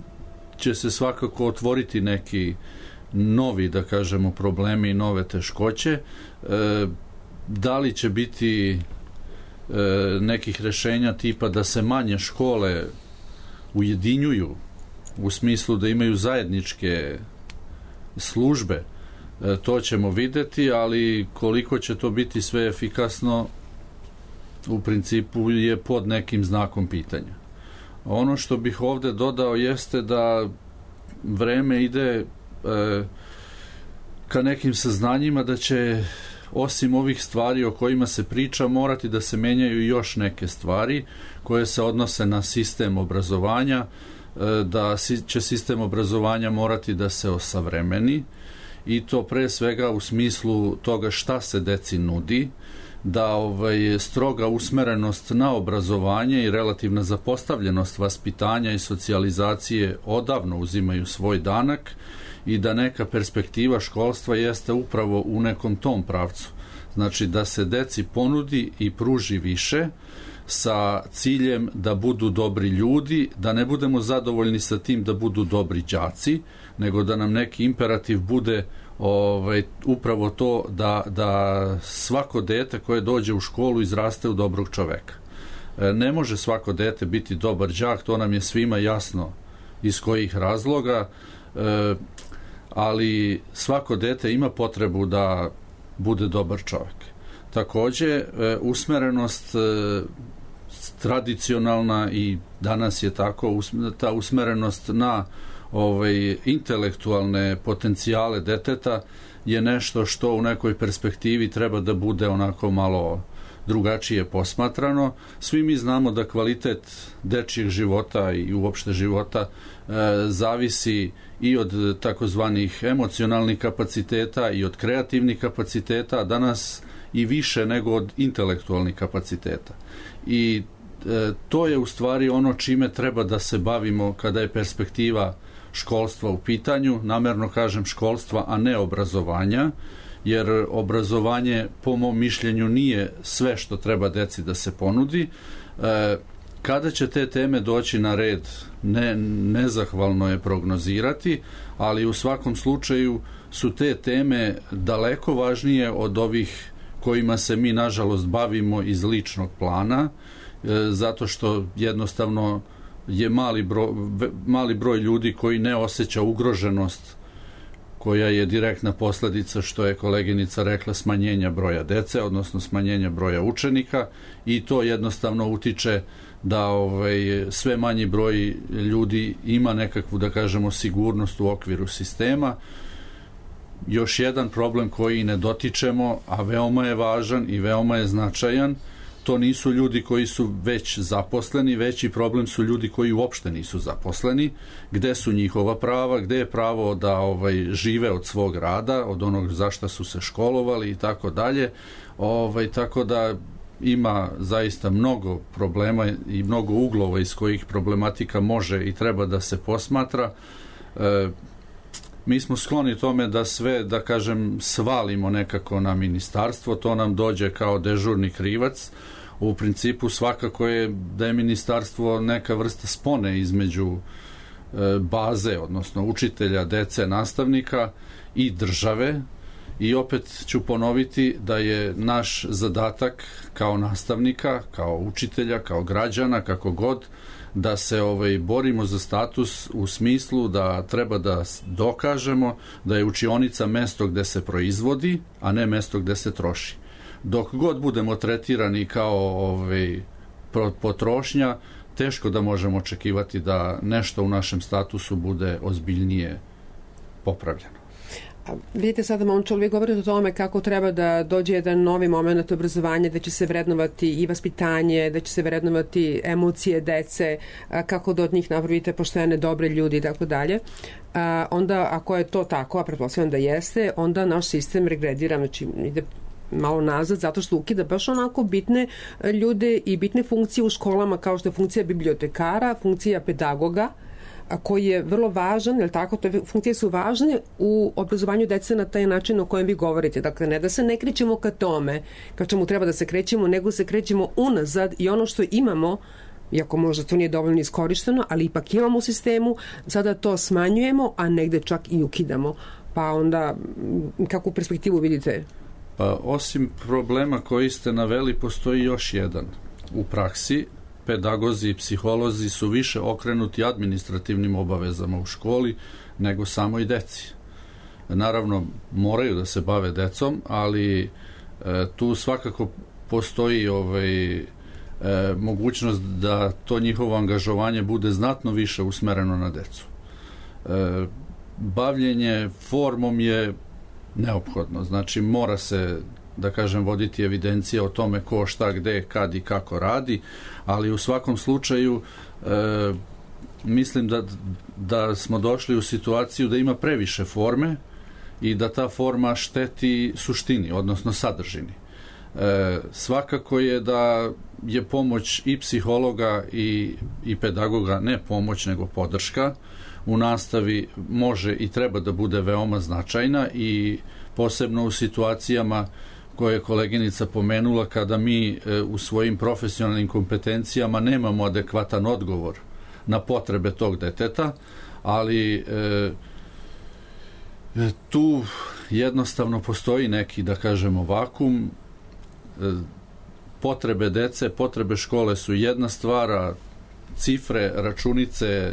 će se svakako otvoriti neki novi, da kažemo, problemi i nove teškoće. Da li će biti nekih rešenja tipa da se manje škole ujedinjuju u smislu da imaju zajedničke službe, to ćemo videti, ali koliko će to biti sve efikasno, u principu je pod nekim znakom pitanja. Ono što bih ovde dodao jeste da vreme ide ka nekim saznanjima da će osim ovih stvari o kojima se priča morati da se menjaju još neke stvari koje se odnose na sistem obrazovanja, da će sistem obrazovanja morati da se osavremeni i to pre svega u smislu toga šta se deci nudi, da stroga usmerenost na obrazovanje i relativna zapostavljenost vaspitanja i socijalizacije odavno uzimaju svoj danak i da neka perspektiva školstva jeste upravo u nekom tom pravcu. Znači da se deci ponudi i pruži više sa ciljem da budu dobri ljudi, da ne budemo zadovoljni sa tim da budu dobri đaci, nego da nam neki imperativ bude upravo to da svako dete koje dođe u školu izraste u dobrog čoveka. Ne može svako dete biti dobar đak, to nam je svima jasno iz kojih razloga, ali svako dete ima potrebu da bude dobar čovek. Takođe, usmerenost tradicionalna i danas je tako, ta usmerenost na intelektualne potencijale deteta je nešto što u nekoj perspektivi treba da bude onako malo drugačije posmatrano. Svi mi znamo da kvalitet dečijeg života i uopšte života zavisi i od takozvanih emocionalnih kapaciteta i od kreativnih kapaciteta, a danas i više nego od intelektualnih kapaciteta. I to je u stvari ono čime treba da se bavimo kada je perspektiva školstva u pitanju, namerno kažem školstva, a ne obrazovanja, jer obrazovanje po mom mišljenju nije sve što treba deci da se ponudi. Kada će te teme doći na red, nezahvalno je prognozirati, ali u svakom slučaju su te teme daleko važnije od ovih kojima se mi nažalost bavimo iz ličnog plana, zato što jednostavno je mali broj ljudi koji ne osjeća ugroženost koja je direktna posledica, što je koleginica rekla, smanjenja broja dece, odnosno smanjenja broja učenika, i to jednostavno utiče da sve manji broj ljudi ima nekakvu, da kažemo, sigurnost u okviru sistema. Još jedan problem koji ne dotičemo, a veoma je važan i veoma je značajan, to nisu ljudi koji su već zaposleni, veći problem su ljudi koji uopšte nisu zaposleni, gde su njihova prava, gde je pravo da žive od svog rada, od onog za šta su se školovali i tako dalje. Tako da ima zaista mnogo problema i mnogo uglova iz kojih problematika može i treba da se posmatra. Mi smo skloni tome da sve, da kažem, svalimo nekako na ministarstvo, to nam dođe kao dežurni krivac. U principu svakako je da je ministarstvo neka vrsta spone između baze, odnosno učitelja, dece, nastavnika i države, i opet ću ponoviti da je naš zadatak kao nastavnika, kao učitelja, kao građana, kako god, da se borimo za status u smislu da treba da dokažemo da je učionica mesto gde se proizvodi, a ne mesto gde se troši. Dok god budemo tretirani kao potrošnja, teško da možemo očekivati da nešto u našem statusu bude ozbiljnije popravljeno. Vidite, sada, momčal, vi govorite o tome kako treba da dođe jedan novi moment obrazovanja, da će se vrednovati i vaspitanje, da će se vrednovati emocije dece, kako da od njih napravite poštene, dobre ljudi i tako dalje. Onda, ako je to tako, a pretpostavljam da jeste, onda naš sistem regredira, znači ide malo nazad, zato što ukida baš onako bitne ljude i bitne funkcije u školama, kao što je funkcija bibliotekara, funkcija pedagoga, koji je vrlo važan, jer tako, te funkcije su važne u obrazovanju dece na taj način o kojem vi govorite. Dakle, ne da se ne krećemo ka tome, ka čemu treba da se krećemo, nego se krećemo unazad i ono što imamo, iako možda to nije dovoljno iskorišteno, ali ipak imamo u sistemu, sada to smanjujemo, a negde čak i ukidamo. Pa onda, kakvu perspektivu vidite? Pa, osim problema koji ste naveli, postoji još jedan. U praksi, pedagozi i psiholozi su više okrenuti administrativnim obavezama u školi nego samo i deci. Naravno, moraju da se bave decom, ali tu svakako postoji mogućnost da to njihovo angažovanje bude znatno više usmereno na decu. Bavljenje formom je neophodno, znači mora se, da kažem, voditi evidencija o tome ko, šta, gde, kad i kako radi, ali u svakom slučaju mislim da smo došli u situaciju da ima previše forme i da ta forma šteti suštini, odnosno sadržini. Svakako je da je pomoć i psihologa i pedagoga, ne pomoć nego podrška u nastavi, može i treba da bude veoma značajna i posebno u situacijama koje je koleginica pomenula, kada mi u svojim profesionalnim kompetencijama nemamo adekvatan odgovor na potrebe tog deteta, ali tu jednostavno postoji neki, da kažemo, vakum. Potrebe dece, potrebe škole su jedna stvar, a cifre, računice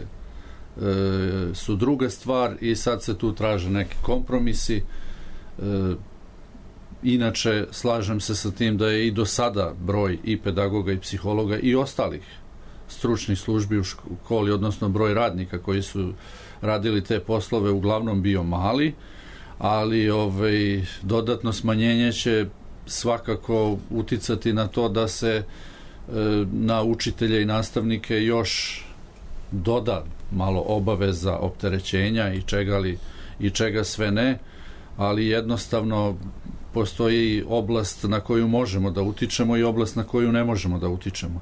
su druga stvar i sad se tu traže neki kompromisi. Inače, slažem se sa tim da je i do sada broj i pedagoga i psihologa i ostalih stručnih službi u školi, odnosno broj radnika koji su radili te poslove, uglavnom bio mali, ali dodatno smanjenje će svakako uticati na to da se na učitelje i nastavnike još doda malo obaveza, opterećenja i čega sve ne, ali jednostavno postoji oblast na koju možemo da utičemo i oblast na koju ne možemo da utičemo.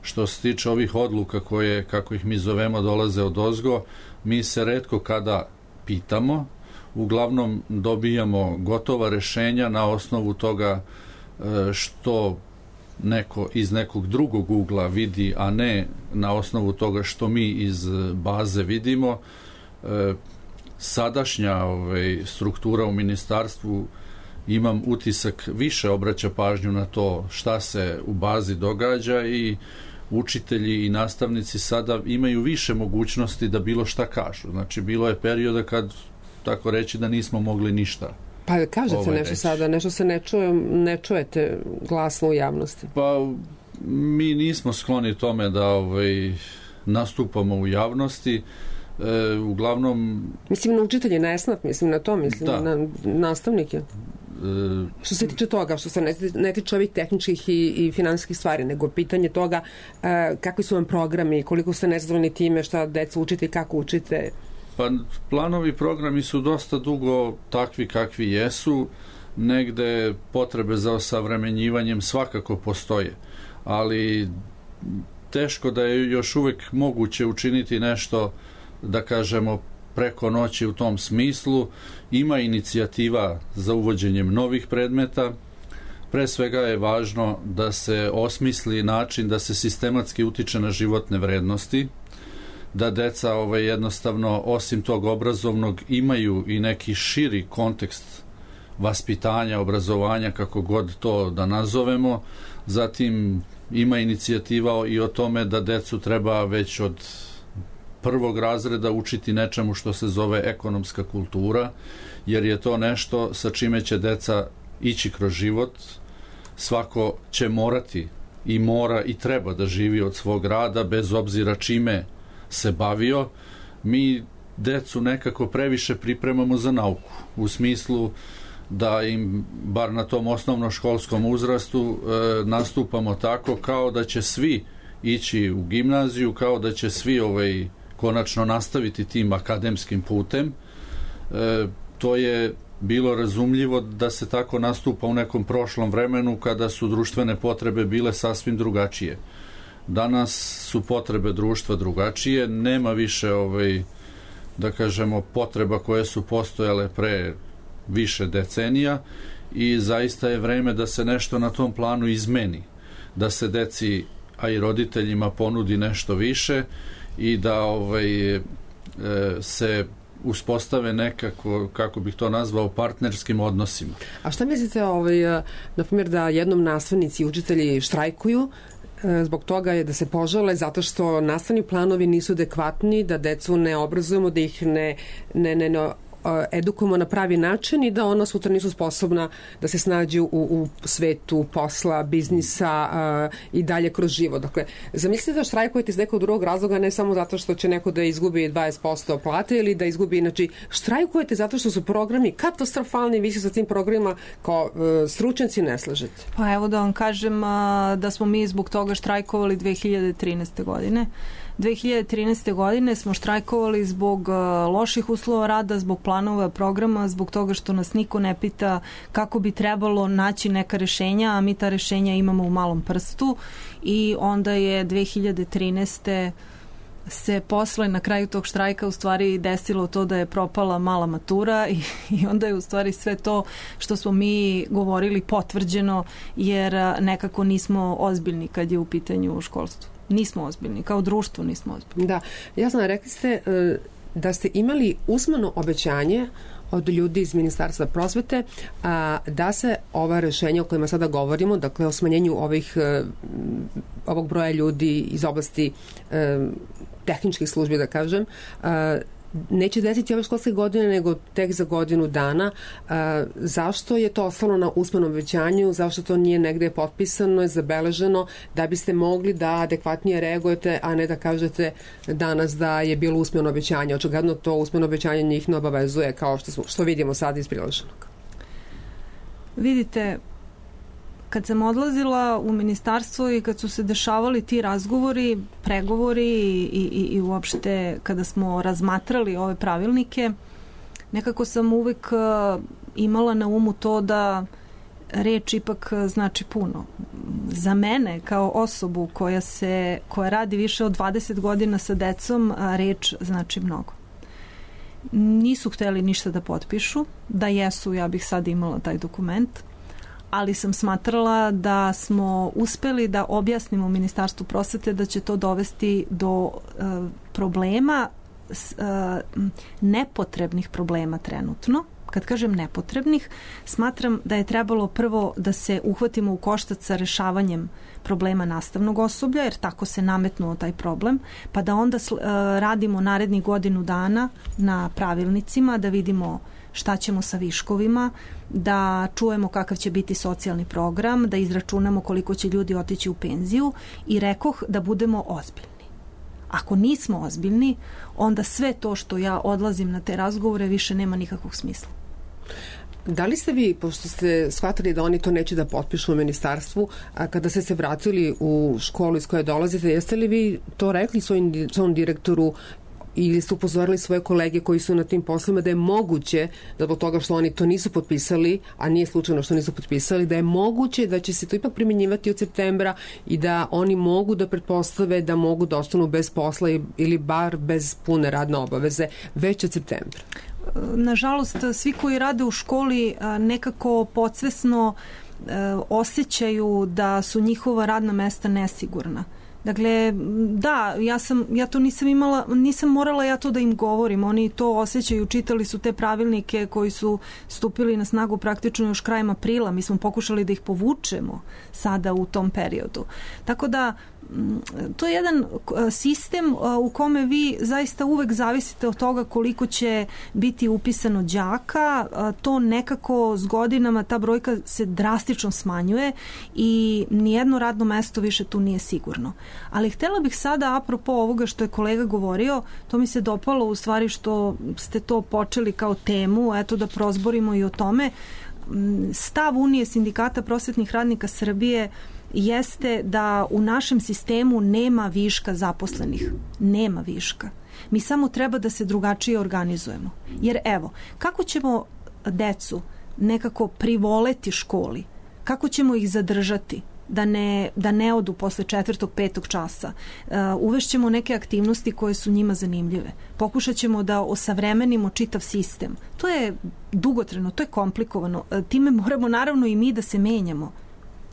Što se tiče ovih odluka koje, kako ih mi zovemo, dolaze odozgo, mi se retko kada pitamo, uglavnom dobijamo gotova rešenja na osnovu toga što neko iz nekog drugog ugla vidi, a ne na osnovu toga što mi iz baze vidimo. Sadašnja struktura u ministarstvu, imam utisak, više obraća pažnju na to šta se u bazi događa i učitelji i nastavnici sada imaju više mogućnosti da bilo šta kažu. Znači, bilo je perioda kad, tako reći, da nismo mogli ništa. Pa kažete nešto sada, nešto se ne čujete glasno u javnosti. Pa mi nismo skloni tome da nastupamo u javnosti. Uglavnom... Mislim na učitelji, na SNAP, mislim na to, mislim na nastavnike. Što se tiče toga, što se ne tiče ovih tehničkih i finansijskih stvari, nego pitanje toga kakvi su vam programi, koliko ste nezadovoljni time, šta deca učite i kako učite. Pa planovi programi su dosta dugo takvi kakvi jesu, negde potrebe za osavremenjivanjem svakako postoje, ali teško da je još uvek moguće učiniti nešto, da kažemo, preko noći u tom smislu. Ima inicijativa za uvođenjem novih predmeta. Pre svega je važno da se osmisli način da se sistematski utiče na životne vrednosti, da deca jednostavno osim tog obrazovnog imaju i neki širi kontekst vaspitanja, obrazovanja, kako god to da nazovemo. Zatim ima inicijativa i o tome da decu treba već od prvog razreda učiti nečemu što se zove ekonomska kultura, jer je to nešto sa čime će deca ići kroz život. Svako će morati i mora i treba da živi od svog rada, bez obzira čime se bavio. Mi decu nekako previše pripremamo za nauku, u smislu da im, bar na tom osnovnoškolskom uzrastu, nastupamo tako kao da će svi ići u gimnaziju, kao da će svi konačno nastaviti tim akademskim putem. To je bilo razumljivo da se tako nastupa u nekom prošlom vremenu, kada su društvene potrebe bile sasvim drugačije. Danas su potrebe društva drugačije, nema više da kažemo potreba koje su postojale pre više decenija i zaista je vreme da se nešto na tom planu izmeni, da se deci, a i roditeljima ponudi nešto više i da se uspostave nekako, kako bih to nazvao, partnerskim odnosima. A šta mislite, na primjer, da jednom nastavnici i učitelji štrajkuju zbog toga je da se požale zato što nastavni planovi nisu adekvatni, da decu ne obrazujemo, da ih ne edukujemo na pravi način i da ona sutra nisu sposobna da se snađu u svetu posla, biznisa i dalje kroz život. Dakle, zamislite da štrajkujete iz nekog drugog razloga, ne samo zato što će neko da izgubi 20% plate ili da izgubi, znači štrajkujete zato što su programi katastrofalni, vi se sa tim programima kao stručnjaci ne slažete. Pa evo da vam kažem da smo mi zbog toga štrajkovali 2013. godine. 2013. godine smo štrajkovali zbog loših uslova rada, zbog planova programa, zbog toga što nas niko ne pita kako bi trebalo naći neka rešenja, a mi ta rešenja imamo u malom prstu i onda je 2013. se posle na kraju tog štrajka u stvari desilo to da je propala mala matura i onda je u stvari sve to što smo mi govorili potvrđeno jer nekako nismo ozbiljni kad je u pitanju školstvo. Nismo ozbiljni, kao društvo nismo ozbiljni. Da, jasno, rekli ste da ste imali usmeno obećanje od ljudi iz Ministarstva prosvete da se ova rešenja o kojima sada govorimo, dakle o smanjenju ovog broja ljudi iz oblasti tehničkih službi, da kažem, neće desiti ove školske godine, nego tek za godinu dana. Zašto je to ostalo na usmenom obećanju? Zašto to nije negde potpisano i zabeleženo da biste mogli da adekvatnije reagujete, a ne da kažete danas da je bilo usmeno obećanje? Očigledno to usmeno obećanje njih ne obavezuje kao što vidimo sad iz priloženog. Vidite, kad sam odlazila u ministarstvo i kad su se dešavali ti razgovori, pregovori i uopšte kada smo razmatrali ove pravilnike, nekako sam uvek imala na umu to da reč ipak znači puno. Za mene kao osobu koja radi više od 20 godina sa decom, reč znači mnogo. Nisu hteli ništa da potpišu, da jesu, ja bih sad imala taj dokument, ali sam smatrala da smo uspeli da objasnimo Ministarstvu prosvete da će to dovesti do problema, nepotrebnih problema trenutno. Kad kažem nepotrebnih, smatram da je trebalo prvo da se uhvatimo u koštac sa rešavanjem problema nastavnog osoblja, jer tako se nametnuo taj problem, pa da onda radimo narednih godinu dana na pravilnicima, da vidimo šta ćemo sa viškovima, da čujemo kakav će biti socijalni program, da izračunamo koliko će ljudi otići u penziju i rekoh da budemo ozbiljni. Ako nismo ozbiljni, onda sve to što ja odlazim na te razgovore više nema nikakvog smisla. Da li ste vi, pošto ste shvatili da oni to neće da potpišu u ministarstvu, a kada ste se vratili u školu iz koje dolazite, jeste li vi to rekli svom direktoru ili ste upozorili svoje kolege koji su na tim poslovima da je moguće da zbog toga što oni to nisu potpisali, a nije slučajno što nisu potpisali, da je moguće da će se to ipak primjenjivati od septembra i da oni mogu da pretpostave da mogu da ostanu bez posla ili bar bez pune radne obaveze već od septembra? Nažalost, svi koji rade u školi nekako podsvesno osjećaju da su njihova radna mesta nesigurna. Dakle, da, ja to nisam morala ja to da im govorim, oni to osjećaju, čitali su te pravilnike koji su stupili na snagu praktično još krajem aprila, mi smo pokušali da ih povučemo sada u tom periodu. Tako da, to je jedan sistem u kome vi zaista uvek zavisite od toga koliko će biti upisano đaka, to nekako s godinama ta brojka se drastično smanjuje i nijedno radno mesto više tu nije sigurno. Ali htjela bih sada, apropo ovoga što je kolega govorio, to mi se dopalo u stvari što ste to počeli kao temu, eto da prozborimo i o tome. Stav Unije sindikata prosvetnih radnika Srbije jeste da u našem sistemu nema viška zaposlenih. Nema viška. Mi samo treba da se drugačije organizujemo. Jer evo, kako ćemo decu nekako privoleti školi? Kako ćemo ih zadržati? Da ne odu posle 4. 5. časa. Uvešćemo neke aktivnosti koje su njima zanimljive. Pokušat ćemo da osavremenimo čitav sistem. To je dugotrajno, to je komplikovano. Time moramo naravno i mi da se menjamo.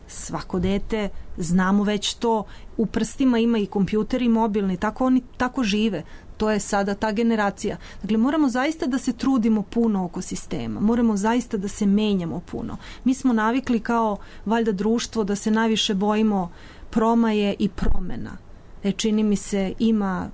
Svako dete, znamo već to, u prstima ima i kompjuter i mobilni, tako oni tako žive. To je sada ta generacija. Dakle, moramo zaista da se trudimo puno oko sistema. Moramo zaista da se menjamo puno. Mi smo navikli kao valjda društvo da se najviše bojimo promaje i promena. Čini mi se ima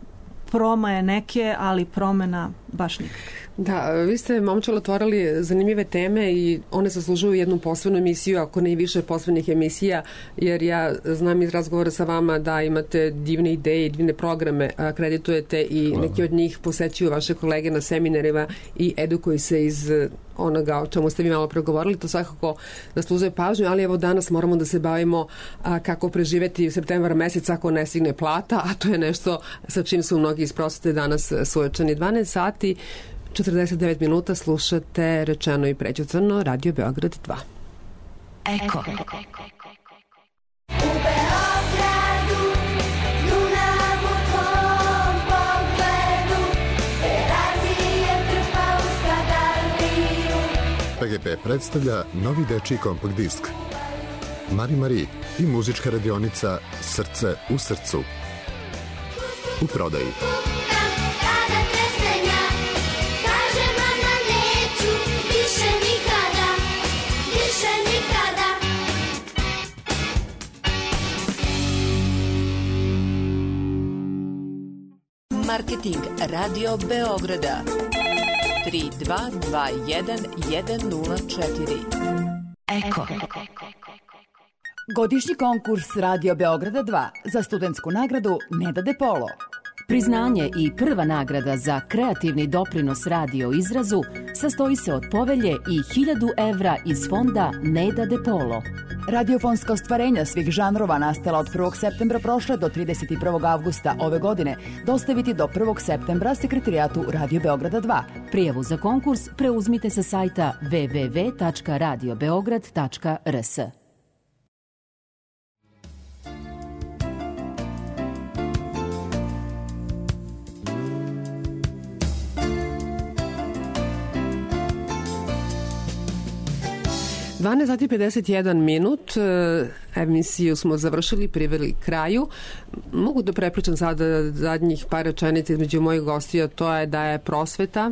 promaje neke, ali promena baš nikakve. Da, vi ste, momčilo, otvorili zanimljive teme i one zaslužuju jednu posebnu emisiju, ako ne i više posebnih emisija, jer ja znam iz razgovora sa vama da imate divne ideje i divne programe, akreditujete i neki od njih posećuju vaše kolege na seminarima i edukuju se iz onoga o čemu ste vi malo pregovorili, to svakako zaslužuje pažnju, ali evo danas moramo da se bavimo kako preživeti septembar mesec ako ne stigne plata, a to je nešto sa čim su mnogi iz prosvete danas suočeni. 12 sati 49 minuta slušate Rečeno i prećutano, Radio Beograd 2. Eko. U Beogradu, luna u tvom pogledu, Terazije trpa u skadardiju. PGP predstavlja novi dečiji kompakt disk Mari i muzička radionica Srce u srcu. U prodaji. Marketing Radio Beograda 3221 104. Eko. Godišnji konkurs Radio Beograda 2 za studentsku nagradu Neda De Polo. Priznanje i prva nagrada za kreativni doprinos radio izrazu sastoji se od povelje i 1000 evra iz fonda Neda De Polo. Radiofonska ostvarenja svih žanrova nastala od 1. septembra prošle do 31. avgusta ove godine dostaviti do 1. septembra sekretarijatu Radio Beograda 2. Prijavu za konkurs preuzmite sa sajta www.radiobeograd.rs. 12 sati 51 minut, emisiju smo završili, priveli kraju. Mogu da prepričam sada zadnjih par rečenica između mojih gostija, to je da je prosveta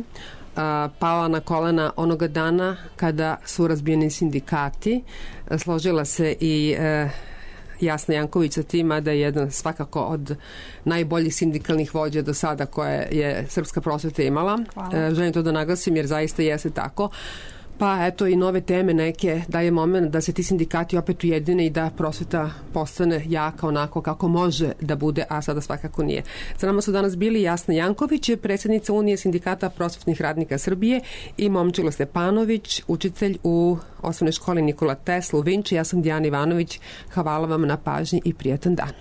pala na kolena onoga dana kada su razbijeni sindikati. Složila se i Jasna Janković sa tima da je jedan svakako od najboljih sindikalnih vođa do sada koje je Srpska prosveta imala. Želim to da naglasim jer zaista jeste tako. Pa eto i nove teme neke, da je moment da se ti sindikati opet ujedine i da prosveta postane jaka onako kako može da bude, a sada svakako nije. Sa nama su danas bili Jasna Janković, predsjednica Unije sindikata prosvetnih radnika Srbije, i Momčilo Stepanović, učitelj u osnovnoj školi Nikola Tesla u Vinči. Ja sam Dijana Ivanović. Hvala vam na pažnji i prijatan dan.